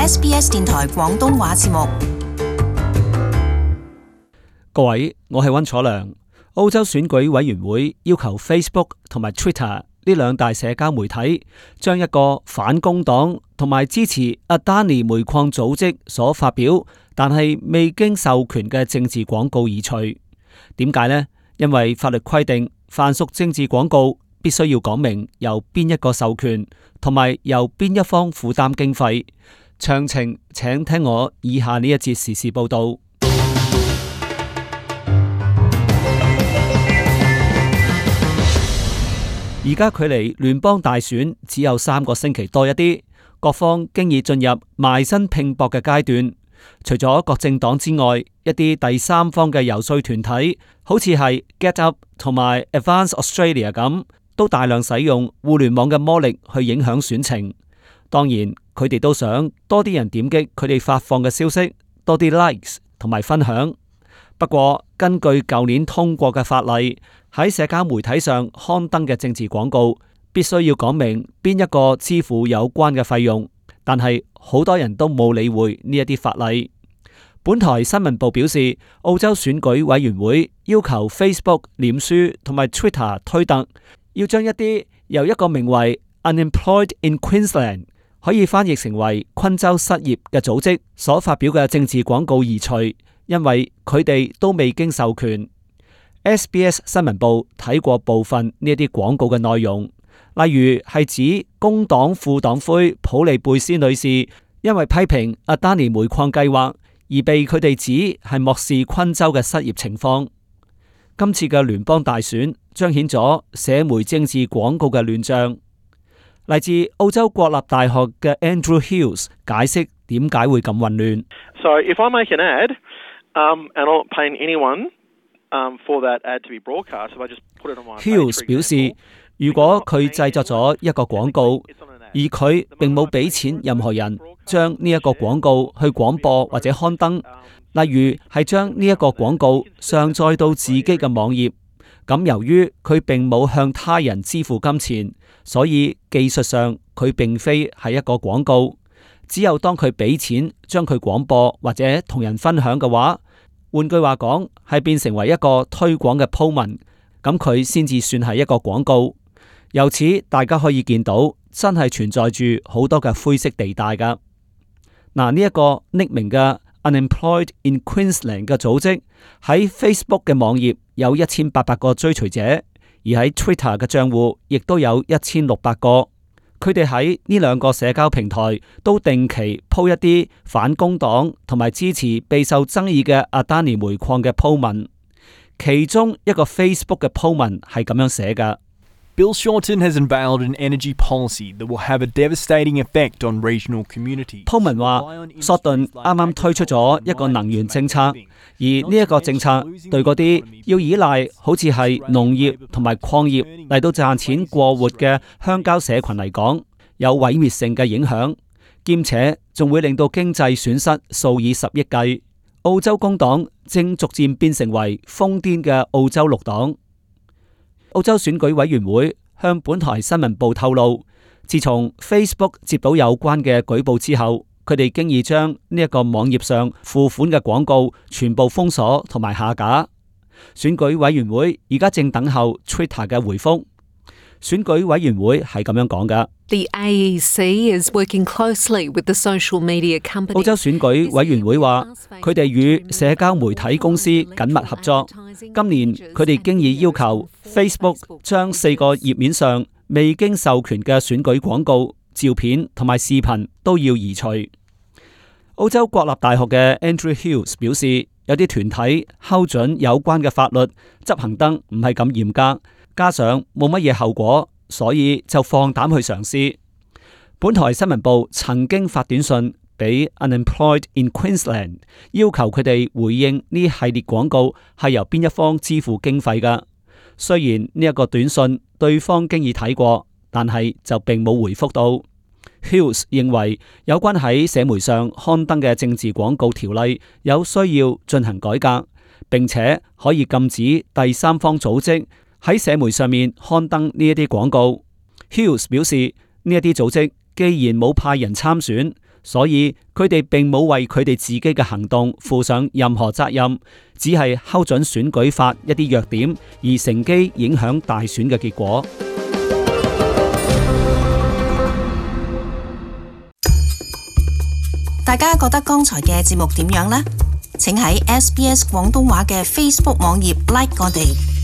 SBS 電台廣東話節目。各位，我係溫楚良。澳洲選舉委員會要求 Facebook 同埋 Twitter 呢兩大社交媒體將一個反工黨同埋支持阿丹尼煤礦組織所發表但係未經授權嘅政治廣告移除。點解呢？因為法律規定，凡屬政治廣告必須要講明由邊一個授權，同埋由邊一方負擔經費。詳情請聽我以下呢一節時事報道。而家距離聯邦大選只有3個星期多一啲，各方經已進入埋身拼搏嘅階段。除咗各政黨之外，一啲第三方嘅遊說團體，好似係 GetUp 同埋 Advance Australia 咁，都大量使用互聯網嘅魔力去影響選情。當然，佢哋都想多啲人點擊佢哋發放嘅消息，多啲 likes 同埋分享。不過，根據舊年通過嘅法例，喺社交媒體上刊登嘅政治廣告，必須要講明邊一個支付有關嘅費用。但係好多人都冇理會呢一啲法例。本台新聞部表示，澳洲選舉委員會要求 Facebook、臉書同埋 Twitter 推特，要將一啲由一個名為 Unemployed in Queensland 可以翻譯成為昆州失業嘅組織所發表嘅政治廣告移除。因為佢哋都未經授權。SBS 新聞部睇過部分呢一啲廣告嘅內容，例如係指工黨副黨魁普利貝斯女士因為批評阿丹尼煤礦計劃而被佢哋指係漠視昆州嘅失業情況。今次嘅聯邦大選彰顯咗社媒政治廣告嘅亂象。嚟自澳洲國立大學嘅 Andrew Hills 解釋點解會咁混亂。So if I make an ad,and I'm not paying anyone for that ad to be broadcast, if I just put it on my Hills 表示，如果佢製作咗一個廣告，而佢並冇俾錢任何人將呢一個廣告去廣播或者刊登，例如係將呢一個廣告上載到自己嘅網頁，咁由於佢並冇向他人支付金錢，所以技術上佢並非係一個廣告。只有當佢俾錢將佢廣播或者同人分享嘅話，換句話講係變成為一個推廣嘅鋪文，咁佢先至算係一個廣告。由此大家可以見到，真係存在住好多嘅灰色地帶噶。嗱，呢一個匿名嘅 Unemployed in Queensland 嘅組織喺 Facebook 嘅網頁有1800個追隨者，而喺 Twitter 嘅賬戶亦都有1600個。佢哋喺呢兩個社交平台都定期鋪一啲反工黨同埋支持備受爭議嘅阿丹尼煤礦嘅鋪文。其中一個 Facebook 嘅鋪文係咁樣寫嘅。Bill Shorten has unveiled an energy policy that will have a devastating effect on regional communities. 鋪文話，索頓啱啱推出咗一個能源政策，而呢一個政策對嗰啲要依賴好似係農業同埋礦業嚟到賺錢過活嘅鄉郊社群嚟講，有毀滅性嘅影響，兼且仲會令到經濟損失數以10億計。澳洲工黨正逐漸變成為瘋癲嘅澳洲綠黨。澳洲選舉委員會向本台新聞部透露，自從 Facebook 接到有關嘅舉報之後，佢哋經已將呢一個網頁上付款嘅廣告全部封鎖同埋下架。選舉委員會而家正等候 Twitter 嘅回覆。選舉委員會係咁樣講㗎。The AEC is working closely with the social media companies. 澳洲選舉委員會話，佢哋與社交媒體公司緊密合作。今年佢哋經已要求 Facebook 將4個頁面上未經授權嘅選舉廣告、照片同埋視頻都要移除。澳洲國立大學嘅 Andrew Hills 表示，有啲團體睺準有關嘅法律執行得唔係咁嚴格，加上冇乜嘢後果，所以就放膽去嘗試。本台新聞部曾經發短信俾 Unemployed in Queensland， 要求佢哋回應呢系列廣告係由邊一方支付經費㗎。雖然呢一個短信對方經已睇過，但係就並冇回覆到。Hills 認為有關喺社媒上刊登嘅政治廣告條例有需要進行改革，並且可以禁止第三方組織喺社媒上面刊登呢一啲廣告。Hills 表示，呢一啲組織既然冇派人參選，所以佢哋並冇為佢哋自己嘅行動負上任何責任，只係睺準選舉法一啲弱點，而乘機影響大選嘅結果。大家覺得剛才嘅節目點樣呢？請喺SBS 廣東話嘅 Facebook 網頁 like 我哋。